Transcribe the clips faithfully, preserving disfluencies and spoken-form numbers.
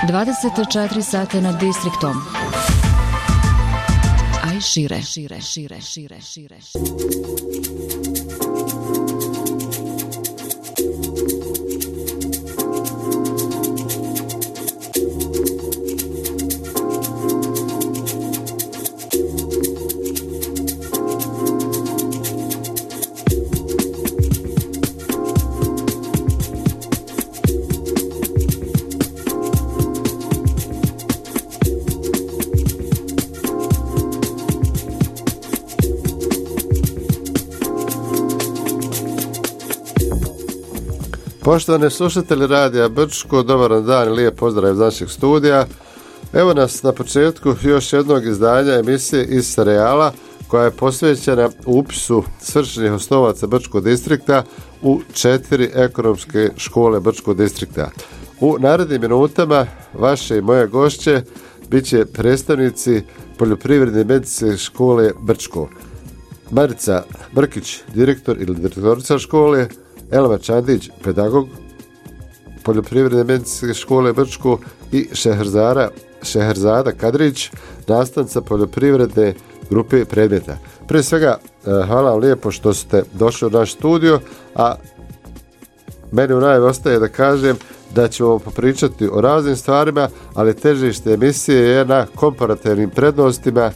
dvadeset četiri sata nad distriktom. A i šire, šire, šire, šire, šire. Poštovani slušatelji Radija Brčko, dobar dan i lijep pozdrav iz našeg studija. Evo nas na početku još jednog izdanja emisije iz serijala koja je posvećena upisu svršenih osnovaca Brčkog distrikta u četiri ekonomske škole Brčkog distrikta. U narednim minutama vaše i moje gošće bit će predstavnici Poljoprivredne medicinske škole Brčko. Marica Brkić, direktor ili direktorica škole, Elma Čandić, pedagog Poljoprivredne medicinske škole Brčko i Šeherzara, Šeherzada Kadrić, nastavnica poljoprivredne grupe predmeta. Prije svega, hvala vam lijepo što ste došli u naš studio, a meni u najavi ostaje da kažem da ćemo popričati o raznim stvarima, ali težište emisije je na komparativnim prednostima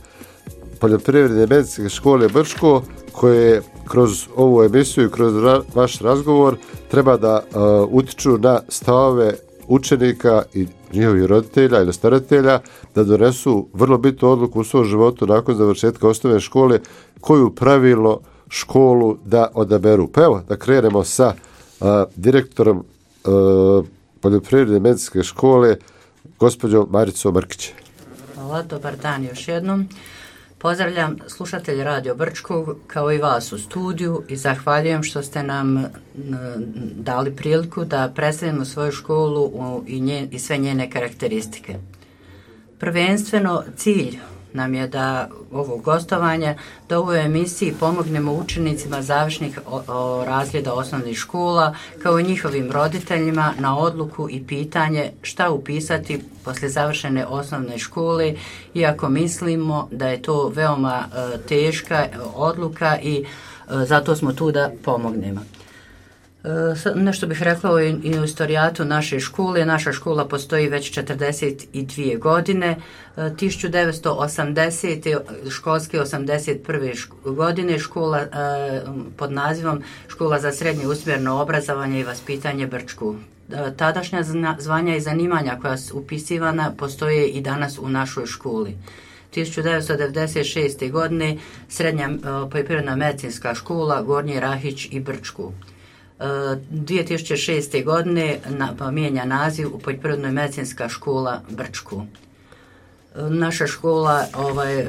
Poljoprivredne medicinske škole Brčko, koje kroz ovu emisiju i kroz ra- vaš razgovor treba da uh, utiču na stavove učenika i njihovih roditelja ili staratelja da donesu vrlo bitnu odluku u svom životu nakon završetka osnovne škole, koju pravilno školu da odaberu. Pa evo, da krenemo sa uh, direktorom uh, Poljoprivredne medicinske škole, gospođom Maricom Brkić. Hvala, dobar dan još jednom. Pozdravljam slušatelje Radio Brčkog kao i vas u studiju i zahvaljujem što ste nam dali priliku da predstavimo svoju školu i, nje, i sve njene karakteristike. Prvenstveno cilj nam je da ovo gostovanje, da u ovoj emisiji pomognemo učenicima završnih o, o razreda osnovnih škola kao i njihovim roditeljima na odluku i pitanje šta upisati poslije završene osnovne škole, iako mislimo da je to veoma e, teška odluka i e, zato smo tu da pomognemo. Nešto bih rekla i o istorijatu naše škole. Naša škola postoji već četrdeset dvije godine. tisuću devetsto osamdesete školske osamdeset prve godine škola pod nazivom Škola za srednje usmjereno obrazovanje i vaspitanje Brčko. Tadašnja zvanja i zanimanja koja su upisivana postoje i danas u našoj školi. tisuću devetsto devedeset šeste godine srednja poljoprivredna medicinska škola Gornji Rahić i Brčko. dvije tisuće šeste godine na, mijenja naziv u Poljoprivrednoj medicinska škola Brčko. Naša škola ovaj,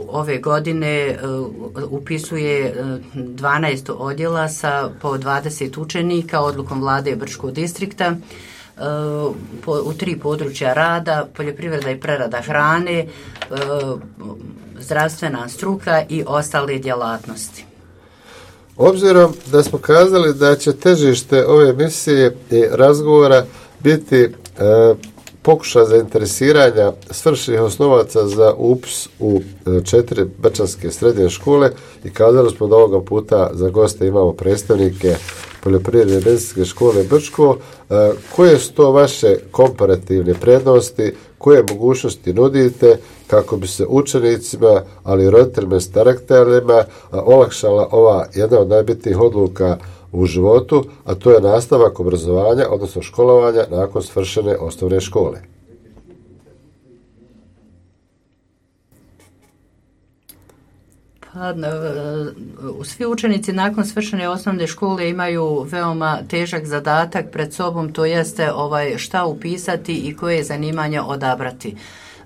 ove godine upisuje dvanaest odjela sa po dvadeset učenika odlukom vlade Brčkog distrikta u tri područja rada: poljoprivreda i prerada hrane, zdravstvena struka i ostale djelatnosti. Obzirom da smo kazali da će težište ove emisije i razgovora biti e, pokušaj zainteresiranja svršenih osnovaca za upis u e, četiri brčanske srednje škole, i kazali smo da ovoga puta za goste imamo predstavnike Poljoprivredne medicinske škole Brčko. E, koje su to vaše komparativne prednosti, koje mogućnosti nudite kako bi se učenicima, ali i roditeljima i starateljima olakšala ova jedna od najbitnijih odluka u životu, a to je nastavak obrazovanja, odnosno školovanja nakon svršene osnovne škole? Pa, svi učenici nakon svršene osnovne škole imaju veoma težak zadatak pred sobom, to jeste ovaj, šta upisati i koje zanimanje odabrati.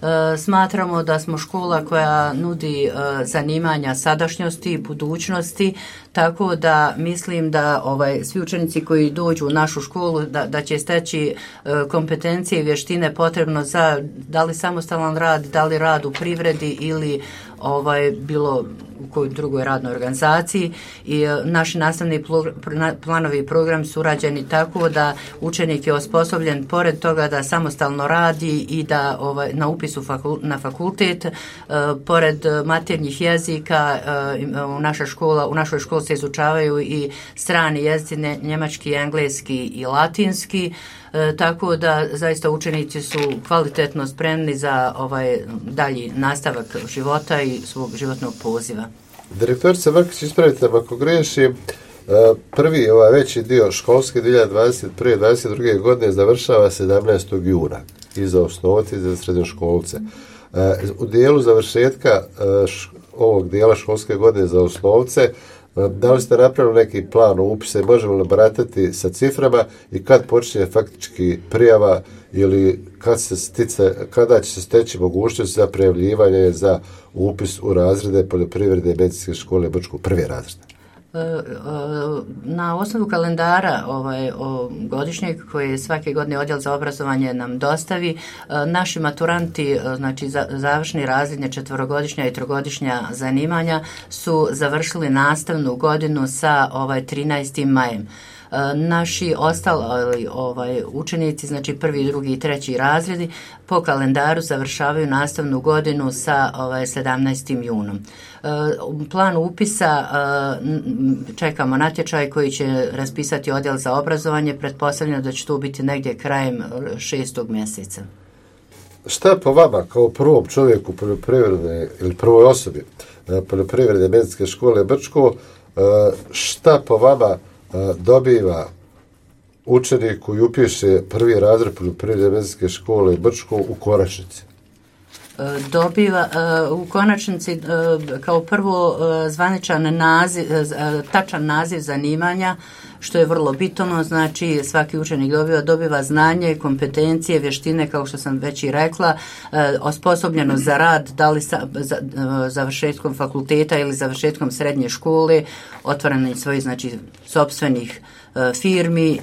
E, smatramo da smo škola koja nudi e, zanimanja sadašnjosti i budućnosti, tako da mislim da ovaj, svi učenici koji dođu u našu školu da, da će steći e, kompetencije i vještine potrebno za da li samostalan rad, da li rad u privredi ili ovaj, bilo u kojoj drugoj radnoj organizaciji i e, naši nastavni pl- planovi i program su urađeni tako da učenik je osposobljen pored toga da samostalno radi i da ovaj, na upisu fakul- na fakultet e, pored maternjih jezika e, u, naša škola, u našoj školi se izučavaju i strani jezici, njemački, engleski i latinski. E, tako da zaista učenici su kvalitetno spremni za ovaj dalji nastavak života i svog životnog poziva. Direktorica Vrkić, ispravite me ako griješim, prvi ovaj veći dio školske dvije hiljade dvadeset prve dvadeset druge godine završava sedamnaestog juna i za osnovce i za srednjoškolce. U dijelu završetka ovog dijela školske godine za osnovce, da li ste napravili neki plan upisa i možemo li baratati sa ciframa i kad počinje faktički prijava ili kad se stice, kada će se steći mogućnost za prijavljivanje za upis u razrede poljoprivredne i medicinske škole Brčko, prvi razred? Na osnovu kalendara ovaj, godišnjeg koji svake godine odjel za obrazovanje nam dostavi, naši maturanti, znači završni razredne četvorogodišnja i trogodišnja zanimanja su završili nastavnu godinu sa ovaj, trinaestim majem. Naši ostali ovaj, učenici, znači prvi, drugi i treći razredi, po kalendaru završavaju nastavnu godinu sa ovaj, sedamnaestim junom. Plan upisa čekamo natječaj koji će raspisati odjel za obrazovanje, pretpostavljeno da će to biti negdje krajem šestog mjeseca. Šta po vama kao prvom čovjeku poljoprivredne ili prvoj osobi poljoprivredne medicinske škole Brčko, šta po vama dobiva učenik koji upiše prvi razred poljoprivredne medicinske škole Brčko u konačnici? Dobiva u konačnici kao prvo zvaničan naziv, tačan naziv zanimanja, što je vrlo bitno, znači svaki učenik dobiva, dobiva znanje, kompetencije, vještine, kao što sam već i rekla, osposobljeno za rad, da li sa, za, završetkom fakulteta ili završetkom srednje škole, otvaranje svojih, znači, sopstvenih firmi,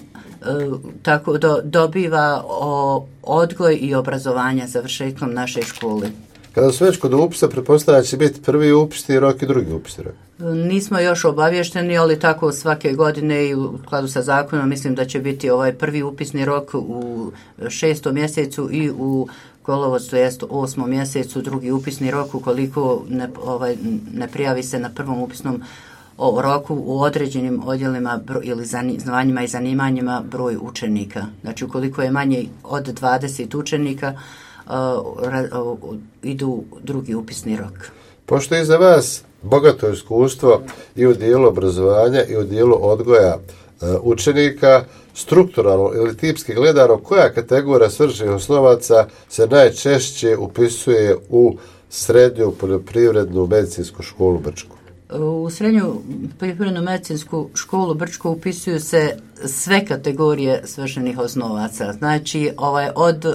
tako do, dobiva o, odgoj i obrazovanja završetkom naše škole. Kada su već kod upisa, pretpostavljam da će biti prvi upisni rok i drugi upisni rok. Nismo još obavješteni, ali tako svake godine i u skladu sa zakonom mislim da će biti ovaj prvi upisni rok u šestom mjesecu i u kolovoz, to jest osmom mjesecu, drugi upisni rok ukoliko ne, ovaj, ne prijavi se na prvom upisnom o roku u određenim odjelima bro, ili zvanjima i zanimanjima broj učenika. Znači ukoliko je manje od dvadeset učenika, uh, ra, uh, idu drugi upisni rok. Pošto je za vas bogato iskustvo i u dijelu obrazovanja i u dijelu odgoja uh, učenika, strukturalno ili tipski gledano, koja kategorija svršenih osnovaca se najčešće upisuje u srednju poljoprivrednu medicinsku školu Brčko? U srednju poljoprivrednu medicinsku školu Brčko upisuju se sve kategorije svršenih osnovaca. Znači, ovaj, od uh,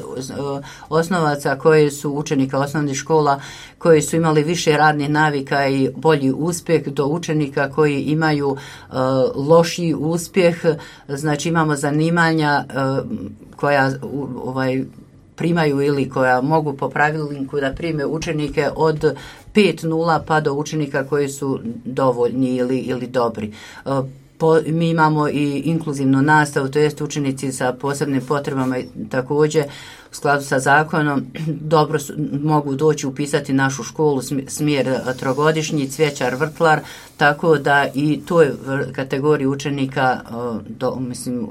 osnovaca koje su učenika osnovnih škola koji su imali više radnih navika i bolji uspjeh do učenika koji imaju uh, lošiji uspjeh. Znači, imamo zanimanja uh, koja uh, ovaj, primaju ili koja mogu po pravilniku da prime učenike od pet nula pa do učenika koji su dovoljni ili, ili dobri. Po, mi imamo i inkluzivnu nastavu, to jest učenici sa posebnim potrebama također u skladu sa zakonom dobro su, mogu doći upisati našu školu smjer trogodišnji, cvjećar, vrtlar, tako da i toj kategoriji učenika do, mislim,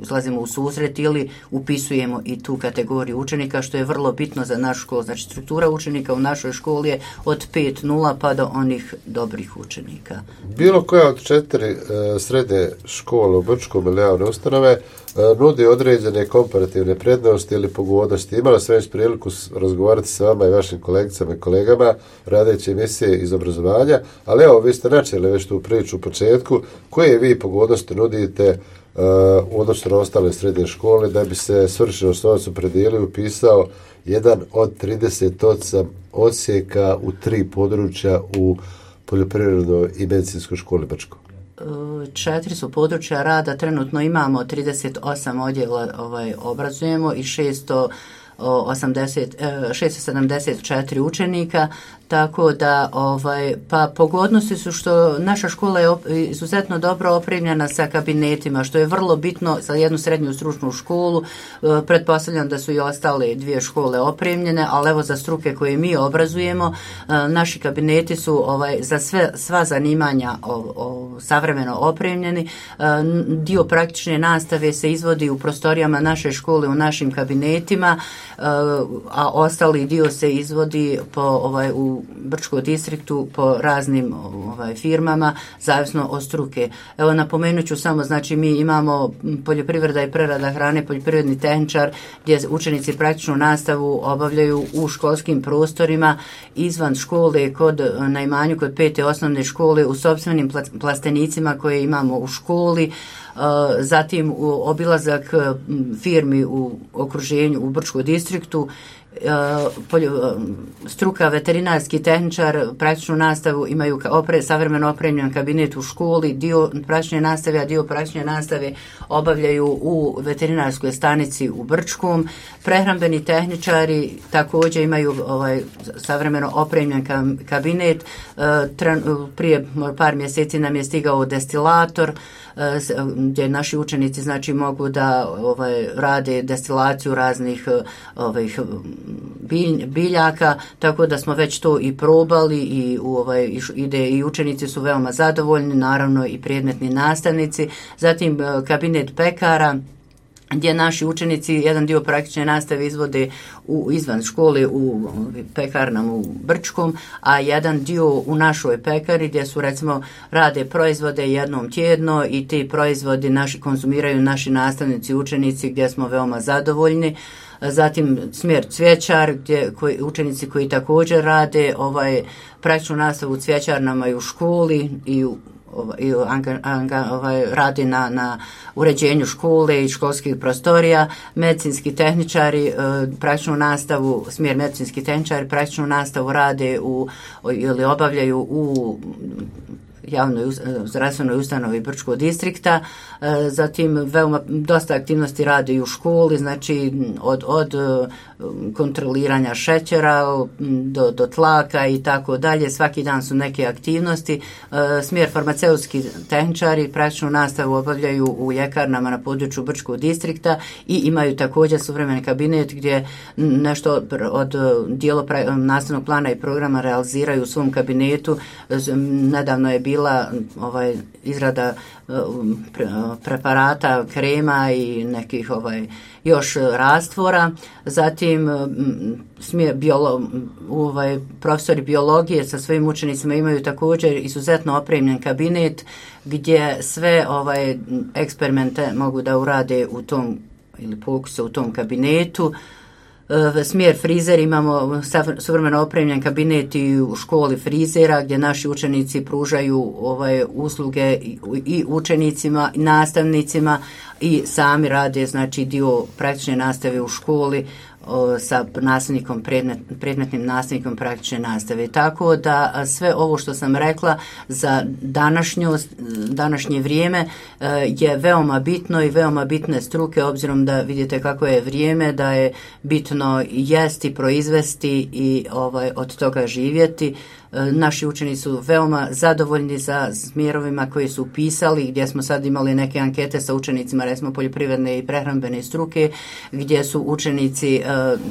izlazimo u susret ili upisujemo i tu kategoriju učenika, što je vrlo bitno za našu školu. Znači struktura učenika u našoj školi je od pet nula pa do onih dobrih učenika. Bilo koja od četiri e, srednje škole u Brčkom ili javne ustanove e, nudi određene komparativne prednosti ili pogodnosti. Imala sam već priliku razgovarati sa vama i vašim kolegicama i kolegama radeći emisije iz obrazovanja, ali evo, vi ste načeli već tu priču u početku. Koje vi pogodnosti nudite Uh, u odnosu na ostale srednje škole da bi se svršeni osnovac opredijelio i upisao jedan od trideset osam odsjeka u tri područja u poljoprivrednoj i medicinskoj školi Brčko? četiri su područja rada, trenutno imamo trideset osam odjela ovaj, obrazujemo i šesto sedamdeset četiri učenika, tako da ovaj, pa pogodnosti su što naša škola je izuzetno dobro opremljena sa kabinetima, što je vrlo bitno za jednu srednju stručnu školu. Pretpostavljam da su i ostale dvije škole opremljene, ali evo za struke koje mi obrazujemo, naši kabineti su ovaj, za sve, sva zanimanja o, o, savremeno opremljeni. Dio praktične nastave se izvodi u prostorijama naše škole, u našim kabinetima, a ostali dio se izvodi po, ovaj, u Brčkom distriktu po raznim ovaj, firmama, zavisno od struke. Evo napomenut ću samo, znači mi imamo poljoprivreda i prerada hrane, poljoprivredni tehničar, gdje učenici praktičnu nastavu obavljaju u školskim prostorima, izvan škole, kod, na imanju kod pete osnovne škole, u sopstvenim plastenicima koje imamo u školi. Zatim u obilazak firmi u okruženju u Brčkom distriktu, struka veterinarski tehničar, praktičnu nastavu imaju opre, savremeno opremljen kabinet u školi, dio praktične nastave, a dio praktične nastave obavljaju u veterinarskoj stanici u Brčkom. Prehrambeni tehničari također imaju ovaj, savremeno opremljen kabinet. Prije par mjeseci nam je stigao destilator, gdje naši učenici znači mogu da ovaj, rade destilaciju raznih ovih bilj, biljaka, tako da smo već to i probali i u ovaj ide i učenici su veoma zadovoljni, naravno i predmetni nastavnici. Zatim kabinet pekara, gdje naši učenici jedan dio praktične nastave izvode u, izvan škole u pekarnama u Brčkom, a jedan dio u našoj pekari gdje su recimo rade proizvode jednom tjedno i ti proizvodi naši konzumiraju naši nastavnici i učenici gdje smo veoma zadovoljni. Zatim smjer cvjećar, gdje koji, učenici koji također rade ovaj, praktičnu nastavu u cvjećarnama i u školi i u i anga, anga, ovaj, radi na, na uređenju škole i školskih prostorija. Medicinski tehničari e, praktičnu nastavu, smjer medicinski tehničari praktičnu nastavu rade u, ili obavljaju u javnoj zdravstvenoj ustanovi Brčkog distrikta. E, zatim veoma dosta aktivnosti rade i u školi, znači od, od kontroliranja šećera do, do tlaka i tako dalje. Svaki dan su neke aktivnosti. E, smjer farmaceutski tehničari praktičnu nastavu obavljaju u ljekarnama na području Brčkog distrikta i imaju također suvremeni kabinet gdje nešto od dijela nastavnog plana i programa realiziraju u svom kabinetu. Nedavno je bila ovaj izrada preparata, krema i nekih ovaj još rastvora. Zatim smije biolo, ovaj profesori biologije sa svojim učenicima imaju također izuzetno opremljen kabinet gdje sve ovaj eksperimente mogu da urade u tom ili pokuse u tom kabinetu. Smjer frizer, imamo suvremeno opremljen kabinet i u školi frizera gdje naši učenici pružaju ovaj usluge i učenicima i nastavnicima i sami rade znači dio praktične nastave u školi o, sa nastavnikom predmet, predmetnim nastavnikom praktične nastave. Tako da sve ovo što sam rekla za današnjo, današnje vrijeme je veoma bitno i veoma bitne struke, obzirom da vidite kako je vrijeme, da je bitno jesti, proizvesti i ovaj, od toga živjeti. Naši učenici su veoma zadovoljni za smjerovima koji su upisali, gdje smo sad imali neke ankete sa učenicima, recimo poljoprivredne i prehrambene struke, gdje su učenici e,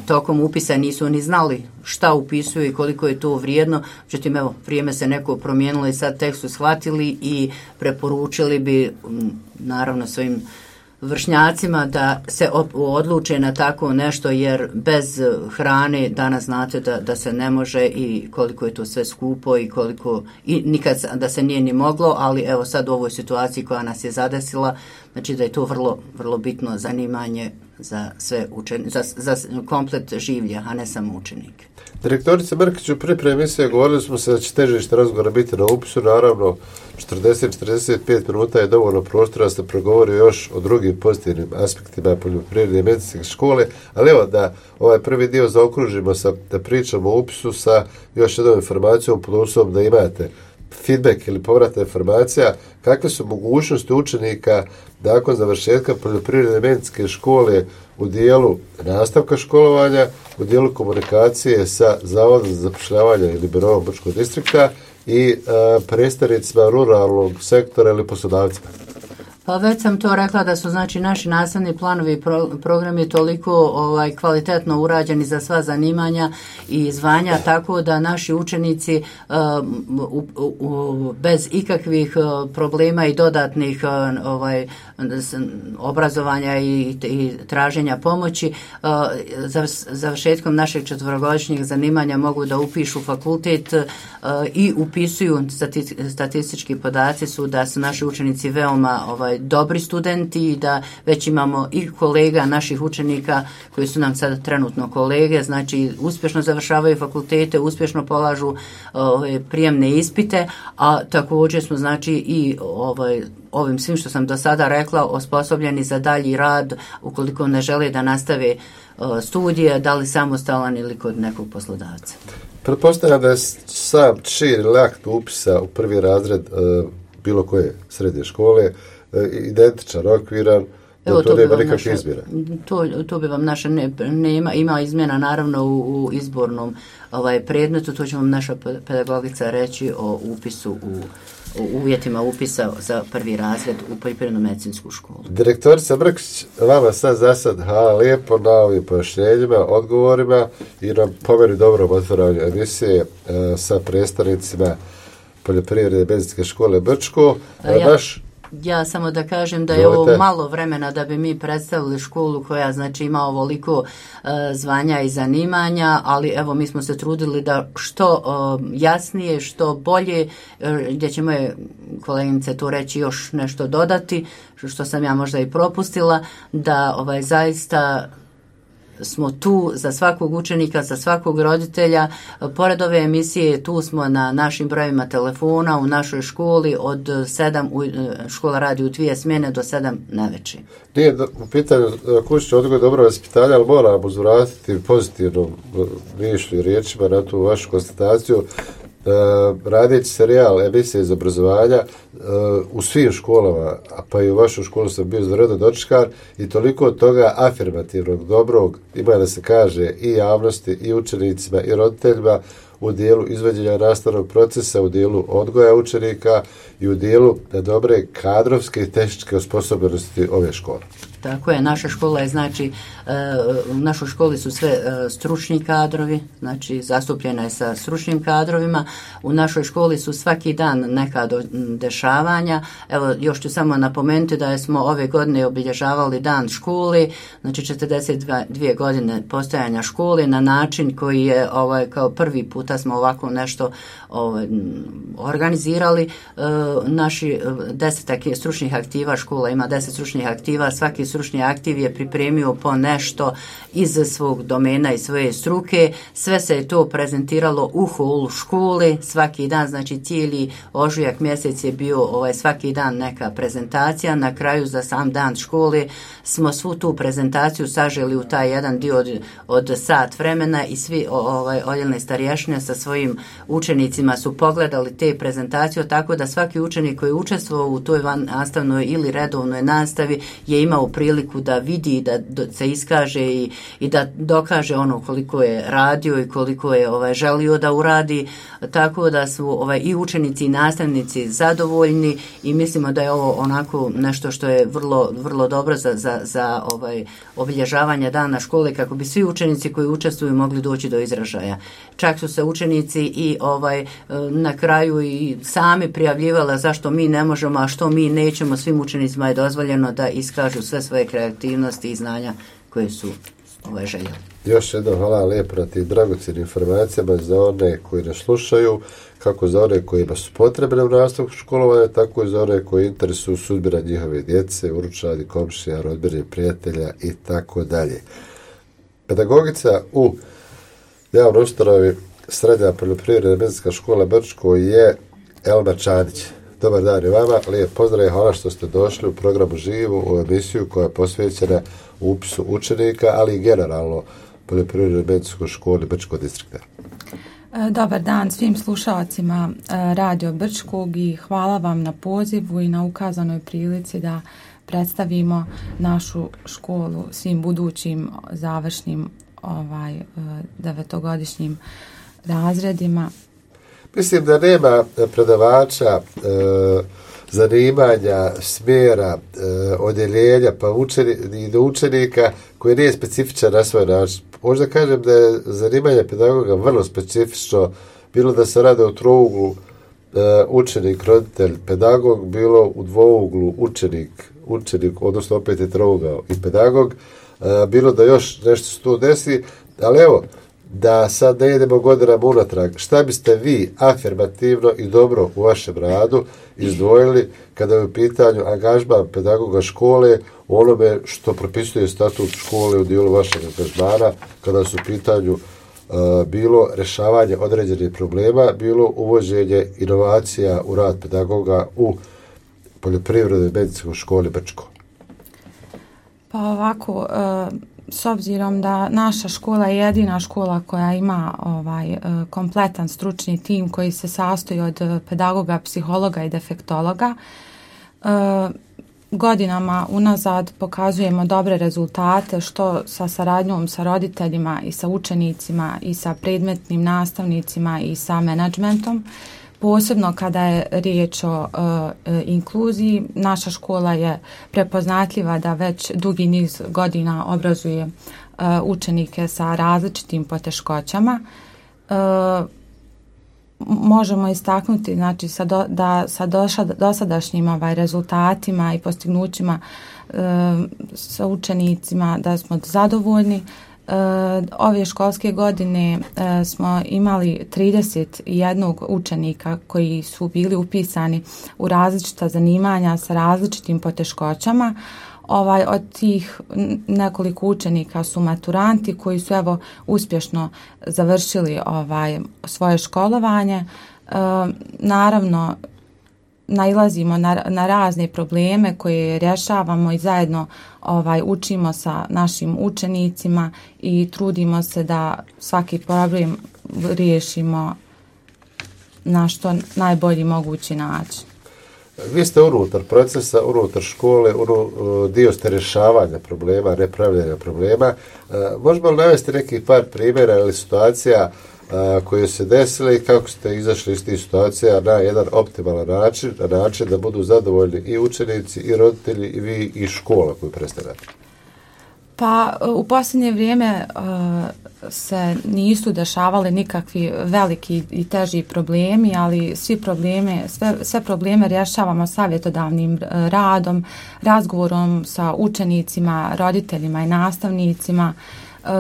tokom upisa nisu ni znali šta upisuju i koliko je to vrijedno. Međutim, evo, vrijeme se neko promijenilo i sad tek su shvatili i preporučili bi naravno svojim vršnjacima da se odluče na tako nešto, jer bez hrane danas znate da, da se ne može i koliko je to sve skupo i koliko i nikad da se nije ni moglo, ali evo sad u ovoj situaciji koja nas je zadesila, znači da je to vrlo, vrlo bitno zanimanje za sve učenike, za, za komplet življa, a ne samo učenike. Direktorica Mrkić, u pripremi emisije govorili smo se da će težište razgovora biti na upisu, naravno četrdeset do četrdeset pet minuta je dovoljno prostora da se progovori još o drugim pozitivnim aspektima poljoprivredne i medicinske škole, ali evo da ovaj prvi dio zaokružimo sa, da pričamo o upisu sa još jednom informacijom pod uslovom da imate feedback ili povratna informacija, kakve su mogućnosti učenika nakon završetka poljoprivredne medicinske škole u dijelu nastavka školovanja, u dijelu komunikacije sa Zavodom za zapošljavanje ili Biroom Brčkog distrikta i uh, predstavnicima ruralnog sektora ili poslodavcima. Pa već sam to rekla da su znači naši nastavni planovi i pro, programi toliko ovaj, kvalitetno urađeni za sva zanimanja i zvanja, tako da naši učenici uh, u, u, bez ikakvih uh, problema i dodatnih uh, ovaj, obrazovanja i, i traženja pomoći uh, za, završetkom našeg četvorogodišnjeg zanimanja mogu da upišu fakultet uh, i upisuju stati, statistički podaci su da su naši učenici veoma ovaj, dobri studenti i da već imamo i kolega naših učenika koji su nam sad trenutno kolege, znači uspješno završavaju fakultete, uspješno polažu ove, prijemne ispite, a također smo znači i ovaj, ovim svim što sam do sada rekla osposobljeni za dalji rad ukoliko ne žele da nastave studije, da li samostalan ili kod nekog poslodavca. Pretpostavljam da je sam čin ili akt upisa u prvi razred uh, bilo koje srednje škole identičan, okviran, da to, to nema nikakve izmjena. To, to bi vam naša ne, nema, ima izmjena naravno u, u izbornom ovaj, predmetu, to će vam naša pedagogica reći o upisu u, u uvjetima upisa za prvi razred u poljoprivredno-medicinsku školu. Direktorica Brkić, vama sad za sad hvala lijepo na ovim pojašnjenjima, odgovorima i na pomeri dobrom otvaranju emisije e, sa predstavnicima poljoprivredne medicinske škole Brčko. Ja. Naš Ja samo da kažem da je ovo malo vremena da bi mi predstavili školu koja znači ima ovoliko uh, zvanja i zanimanja, ali evo mi smo se trudili da što uh, jasnije, što bolje, uh, gdje će moje koleginice tu reći još nešto dodati, što sam ja možda i propustila, da ovaj zaista smo tu za svakog učenika, za svakog roditelja. Pored ove emisije tu smo na našim brojima telefona u našoj školi od sedam, škola radi u dvije smjene do sedam navečer. Nije u pitanju kućni odgoj dobro vaspitanja, ali moram uzvratiti pozitivnom mišlju i riječima na tu vašu konstataciju. Uh, radeći serijal emisije iz obrazovanja uh, u svim školama, a pa i u vašoj školu sam bio izvanredno dočekan i toliko od toga afirmativnog, dobrog, ima da se kaže i javnosti, i učenicima, i roditeljima u dijelu izvođenja nastavnog procesa, u dijelu odgoja učenika i u dijelu dobre kadrovske i tehničke osposobljenosti ove škole. Tako je, naša škola je, znači, u našoj školi su sve stručni kadrovi, znači zastupljena je sa stručnim kadrovima. U našoj školi su svaki dan neka dešavanja. Evo, još ću samo napomenuti da smo ove godine obilježavali dan škole, znači četrdeset dvije godine postojanja škole na način koji je, ovaj, kao prvi puta smo ovako nešto ovaj, organizirali. Naši desetak stručnih aktiva, škola ima deset stručnih aktiva, svaki stručni aktiv je pripremio po nešto iz svog domena i svoje struke. Sve se je to prezentiralo u holu škole svaki dan, znači cijeli ožujak mjesec je bio ovaj, svaki dan neka prezentacija. Na kraju za sam dan škole smo svu tu prezentaciju saželi u taj jedan dio od, od sat vremena i svi ovaj, odjelne starješine sa svojim učenicima su pogledali te prezentacije, tako da svaki učenik koji je učestvovao u toj nastavnoj ili redovnoj nastavi je imao priliku da vidi, da se iskaže i, i da dokaže ono koliko je radio i koliko je ovaj, želio da uradi, tako da su ovaj, i učenici i nastavnici zadovoljni i mislimo da je ovo onako nešto što je vrlo, vrlo dobro za, za, za ovaj, obilježavanje dana škole kako bi svi učenici koji učestvuju mogli doći do izražaja. Čak su se učenici i ovaj, na kraju i sami prijavljivala zašto mi ne možemo, a što mi nećemo. Svim učenicima je dozvoljeno da iskažu sve svoje kreativnosti i znanja koje su ovaj, željeli. Još jednom hvala lijepo na tim dragocjenim informacijama za one koji nas slušaju, kako za one kojima su potrebne u nastavku školovanja, tako i za one koji interesuju sudbina njihove djece, unučadi, komšija, rodbine, prijatelja i tako dalje. Pedagogica u javnoj ustanovi Srednja poljoprivredna medicinska škola Brčko je Elma Čanić. Dobar dan i vama, lijep pozdrav i hvala što ste došli u programu Živu, u emisiju koja je posvećena upisu učenika, ali i generalno poljoprivrednoj medicinskoj školi Brčkog distrikta. Dobar dan svim slušalcima Radio Brčkog i hvala vam na pozivu i na ukazanoj prilici da predstavimo našu školu svim budućim završnim ovaj, devetogodišnjim razredima. Mislim da nema predavača, e, zanimanja, smjera, e, odjeljenja pa učeni, i do učenika koji nije specifičan na svoj način. Možda kažem da je zanimanje pedagoga vrlo specifično, bilo da se rade u trouglu e, učenik, roditelj, pedagog, bilo u dvouglu učenik, učenik, odnosno opet je trougao i pedagog, e, bilo da još nešto se tu desi, ali evo, da sad ne idemo godinama unatrag, šta biste vi afirmativno i dobro u vašem radu izdvojili kada je u pitanju angažman pedagoga škole u onome što propisuje statut škole u dijelu vašeg angažmana, kada su u pitanju uh, bilo rješavanje određenih problema, bilo uvođenje inovacija u rad pedagoga u poljoprivrednoj medicinskoj školi Brčko? Pa ovako, uh... s obzirom da naša škola je jedina škola koja ima ovaj kompletan stručni tim koji se sastoji od pedagoga, psihologa i defektologa, godinama unazad pokazujemo dobre rezultate što sa saradnjom sa roditeljima i sa učenicima i sa predmetnim nastavnicima i sa menadžmentom. Posebno kada je riječ o uh, inkluziji, naša škola je prepoznatljiva da već dugi niz godina obrazuje uh, učenike sa različitim poteškoćama. Uh, možemo istaknuti znači, sa do, da sa doša, dosadašnjim ovaj, rezultatima i postignućima uh, sa učenicima da smo zadovoljni. Uh, ove školske godine uh, smo imali trideset jedan učenika koji su bili upisani u različita zanimanja sa različitim poteškoćama. Ovaj, od tih nekoliko učenika su maturanti koji su evo uspješno završili ovaj, svoje školovanje. Uh, naravno, nailazimo na, na razne probleme koje rješavamo i zajedno ovaj, učimo sa našim učenicima i trudimo se da svaki problem riješimo na što najbolji mogući način. Vi ste unutar procesa, unutar škole, unu, dio ste rješavanja problema, nepravljanja problema. Možemo li navesti nekih par primjera ili situacija koje se desile i kako ste izašli iz tih situacija na jedan optimalan način, na način da budu zadovoljni i učenici, i roditelji, i vi, i škola koju predstavljate? Pa u posljednje vrijeme uh, se nisu dešavali nikakvi veliki i teži problemi, ali svi probleme, sve, sve probleme rješavamo savjetodavnim radom, razgovorom sa učenicima, roditeljima i nastavnicima.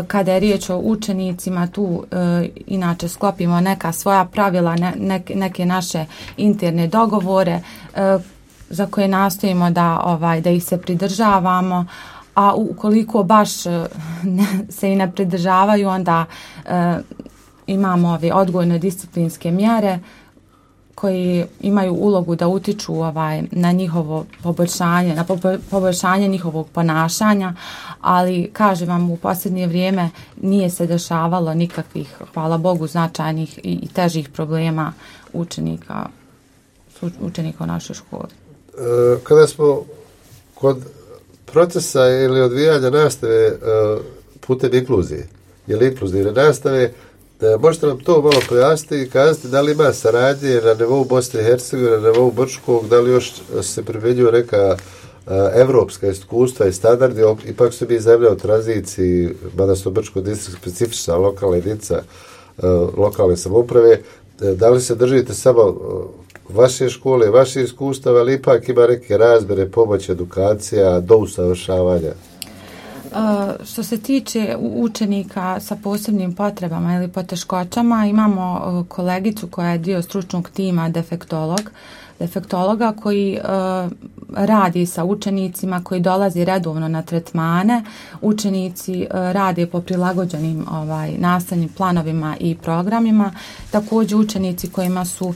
Kada je riječ o učenicima, tu e, inače sklopimo neka svoja pravila, ne, neke, neke naše interne dogovore e, za koje nastojimo da, ovaj, da ih se pridržavamo, a ukoliko baš ne, se i ne pridržavaju, onda e, imamo ove odgojno disciplinske mjere koji imaju ulogu da utiču ovaj, na njihovo poboljšanje, na poboljšanje njihovog ponašanja, ali kažem vam u posljednje vrijeme nije se dešavalo nikakvih, hvala Bogu, značajnih i, i težih problema učenika, učenika u našoj školi. E, kada smo kod procesa ili odvijanja nastave putem inkluzije, ili inkluzivne nastave, možete nam to malo pojasniti i kazati da li ima saradnje na nivou Bosne i Hercegovine, na nivou Brčkog, da li još se primjenjuju neka evropska iskustva i standardi, ipak su mi zemlje u tranziciji, mada su Brčko distrikt specifična lokalna jedinica lokalne samouprave, da li se držite samo vaše škole, vaše iskustava, ali ipak ima neke razmjere, pomoć, edukacija, do usavršavanja? Uh, što se tiče učenika sa posebnim potrebama ili poteškoćama, imamo uh, kolegicu koja je dio stručnog tima defektolog, defektologa koji uh, radi sa učenicima koji dolazi redovno na tretmane. Učenici uh, rade po prilagođenim ovaj, nastavnim planovima i programima. Također učenici kojima su uh,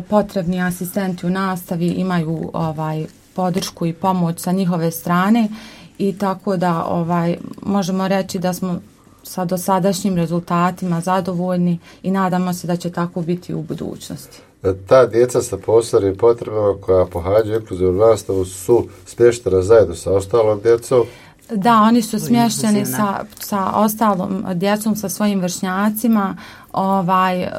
potrebni asistenti u nastavi imaju ovaj, podršku i pomoć sa njihove strane. I tako da ovaj možemo reći da smo sa dosadašnjim rezultatima zadovoljni i nadamo se da će tako biti u budućnosti. Ta djeca sa posebnim potrebama koja pohađaju inkluzivnu nastavu su smještena zajedno sa ostalom djecom? Da, oni su smješteni sa, sa ostalom djecom, sa svojim vršnjacima, ovaj, e,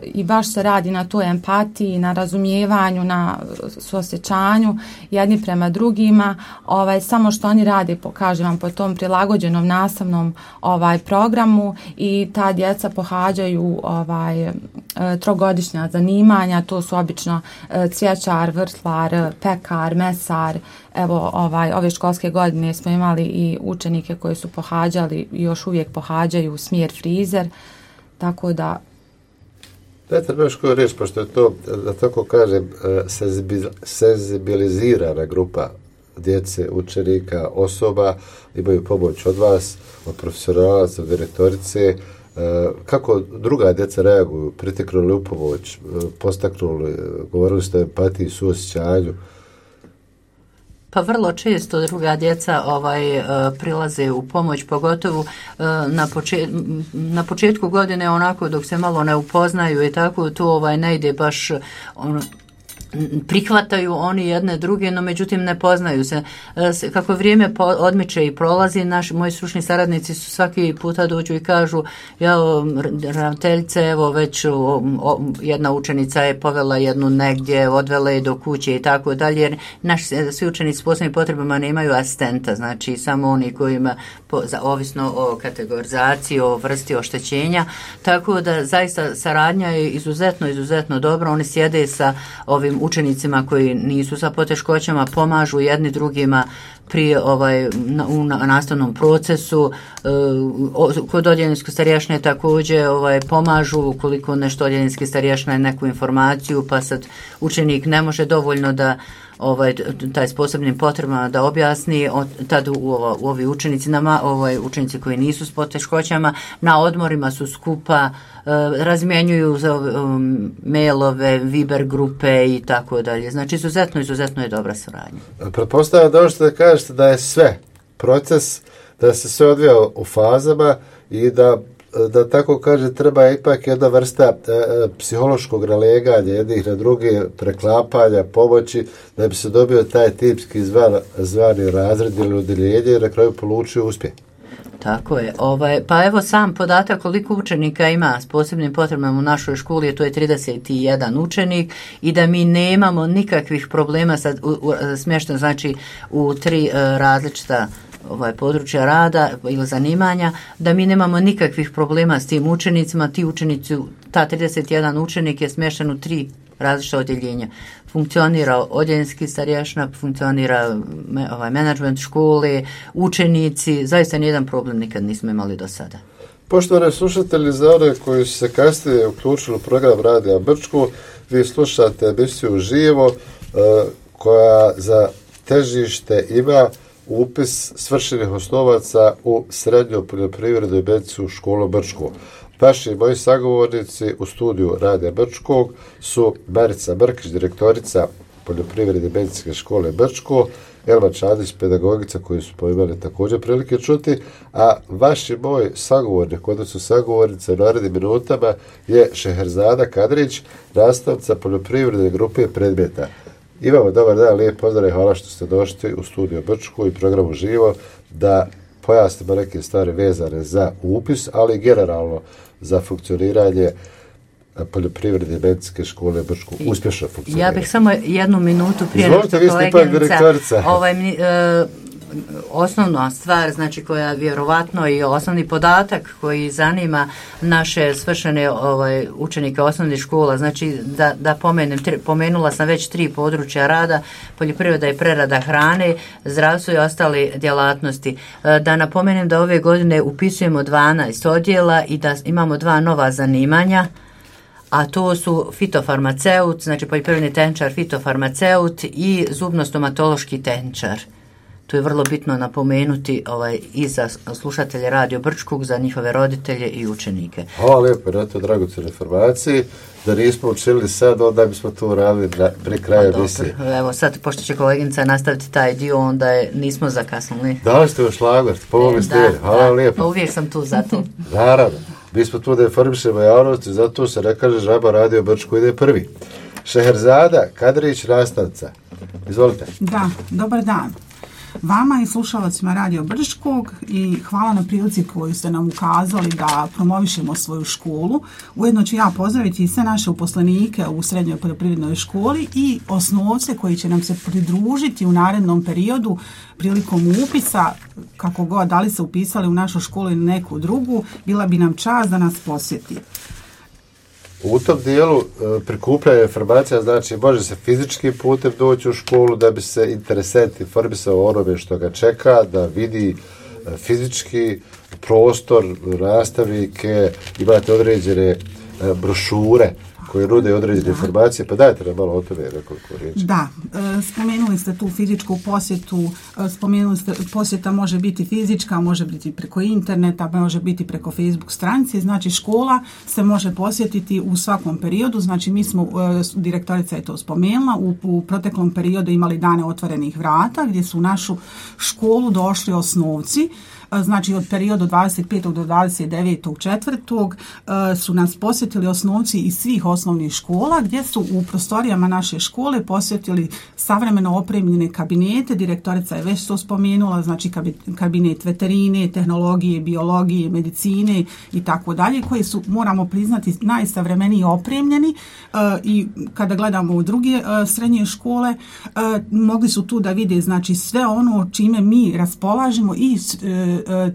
i baš se radi na toj empatiji, na razumijevanju, na suosjećanju jedni prema drugima, ovaj, samo što oni rade, pokažem vam, po tom prilagođenom nastavnom ovaj, programu i ta djeca pohađaju ovaj, e, trogodišnja zanimanja, to su obično e, cvjećar, vrtlar, pekar, mesar. Evo, ovaj, ove školske godine smo imali i učenike koji su pohađali i još uvijek pohađaju smjer frizer, tako da... Dajte mi još koju riječ, pošto je to, da tako kažem, senzibilizirana grupa djece, učenika, osoba, imaju pomoć od vas, od profesionalaca, od direktorice. Kako druga djeca reaguju, priteknuli u pomoć, postaknuli, govorili ste o empatiji, suosjećanju? Pa vrlo često druga djeca ovaj uh, prilaze u pomoć, pogotovo uh, na, počet, na početku godine, onako dok se malo ne upoznaju i tako, to ovaj ne ide baš on, prihvataju oni jedne druge, no međutim ne poznaju se. Kako vrijeme odmiče i prolazi, naši, moji stručni saradnici su svaki puta dođu i kažu, ja, ravnateljice, evo već o, o, jedna učenica je povela jednu negdje, odvela je do kuće i tako dalje, jer naši svi učenici s posebnim potrebama nemaju asistenta, znači samo oni kojima, po, za, ovisno o kategorizaciji, o vrsti oštećenja, tako da zaista saradnja je izuzetno, izuzetno dobro, oni sjede sa ovim učenicima koji nisu sa poteškoćama, pomažu jedni drugima pri ovaj na, u na, nastavnom procesu. E, o, kod odjeljenske starješne također ovaj pomažu ukoliko nešto odjeljenske starješna je neku informaciju, pa sad učenik ne može dovoljno da ovaj taj s posebnim potrebama da objasni, tad u, u, u ovi učenici nama, ovaj učenici koji nisu s poteškoćama na odmorima su skupa, e, razmjenjuju um, mailove, Viber grupe i tako dalje. Znači izuzetno, izuzetno je dobra suradnja. Pretpostavljam da možete da kažete da je sve proces, da se sve odvija u fazama i da da tako kaže, treba ipak jedna vrsta e, psihološkog naleganja jednih na druge, preklapanja, pomoći, da bi se dobio taj tipski zvan, zvani razred ili udjeljenje i na kraju polučio uspjeh. Tako je. Ovaj, pa evo sam podatak koliko učenika ima s posebnim potrebama u našoj školi, to je trideset jedan učenik i da mi nemamo nikakvih problema sa u, u, smješteno, znači u tri uh, različita ovaj područja rada ili zanimanja, da mi nemamo nikakvih problema s tim učenicima. Ti učenici, ta trideset jedan učenik je smješten u tri različita odjeljenja. Funkcionira odjeljenski starješna, funkcionira me, ovaj menadžment škole, učenici, zaista nijedan problem nikad nismo imali do sada. Poštovani slušatelji, za one koji su se kasnije uključili u program Radija Brčko, vi slušate emisiju Živo, koja za težište ima upis svršenih osnovaca u srednjoj poljoprivrednoj medicinsku školu Brčko. Vaši moji sagovornici u studiju Radija Brčkog su Marica Brkić, direktorica poljoprivredne medicinske škole Brčko, Elma Čadić, pedagogica koju su imali također prilike čuti, a vaši moj sagovornik, odnosno sagovornica u narednim minutama je Šeherzada Kadrić, nastavnica poljoprivredne grupe predmeta. Imamo dobar dan, lijep pozdrav i hvala što ste došli u studiju Brčko i programu Živo da pojasnimo neke stvari vezane za upis, ali generalno za funkcioniranje poljoprivredne medicinske škole Brčko. Uspješno funkcionira. Ja bih samo jednu minutu prije nešto koleginica. Ovaj, e, osnovna stvar, znači koja vjerovatno i osnovni podatak koji zanima naše svršene ovaj, učenike osnovnih škola, znači da, da pomenem, tri, pomenula sam već tri područja rada, poljoprivreda i prerada hrane, zdravstvo i ostale djelatnosti. Da napomenem da ove godine upisujemo dvanaest odjela i da imamo dva nova zanimanja, a to su fitofarmaceut, znači poljoprivredni tehničar, fitofarmaceut i zubno-stomatološki tehničar. Tu je vrlo bitno napomenuti ovaj, i za slušatelje Radio Brčkog, za njihove roditelje i učenike. Hvala lijepo na to dragocjenoj informaciji. Da nismo učili sad, onda bismo to radili pri kraju emisije. Evo sad, pošto će koleginica nastaviti taj dio, onda je, nismo zakasnili. Dali ste još šlagvort, pomogli ste jer. Hvala lijepo. Pa uvijek sam tu za to. Naravno. Mi smo tu da informišemo javnosti, zato se ne kaže žaba Radio Brčko ide prvi. Šeherzada Kadrić, nastavnica. Izvolite. Da, dobar dan. Vama i slušalacima Radio Brčkog i hvala na prilici koju ste nam ukazali da promovišemo svoju školu. Ujedno ću ja pozdraviti sve naše uposlenike u srednjoj poljoprivrednoj školi i osnovce koji će nam se pridružiti u narednom periodu prilikom upisa, kako god, da li se upisali u našu školu ili neku drugu, bila bi nam čast da nas posjeti. U tom dijelu e, prikupljanja informacija, znači može se fizičkim putem doći u školu da bi se interesent informisao o onome što ga čeka, da vidi e, fizički prostor, nastavnike, imate određene e, brošure koje nude određene informacije, pa dajte nam malo o tome nekoliko riječi. Da, e, spomenuli ste tu fizičku posjetu, e, spomenuli ste posjeta može biti fizička, može biti preko interneta, može biti preko Facebook stranice, znači škola se može posjetiti u svakom periodu, znači mi smo, e, direktorica je to spomenula, u, u proteklom periodu imali dane otvorenih vrata gdje su u našu školu došli osnovci. Znači od perioda dvadeset petog do dvadeset devetog četvrtog su nas posjetili osnovci iz svih osnovnih škola gdje su u prostorijama naše škole posjetili savremeno opremljene kabinete, direktorica je već to spomenula, znači kabinet veterine, tehnologije, biologije, medicine i tako dalje, koji su, moramo priznati, najsavremeniji opremljeni i kada gledamo u druge srednje škole mogli su tu da vide znači sve ono čime mi raspolažemo i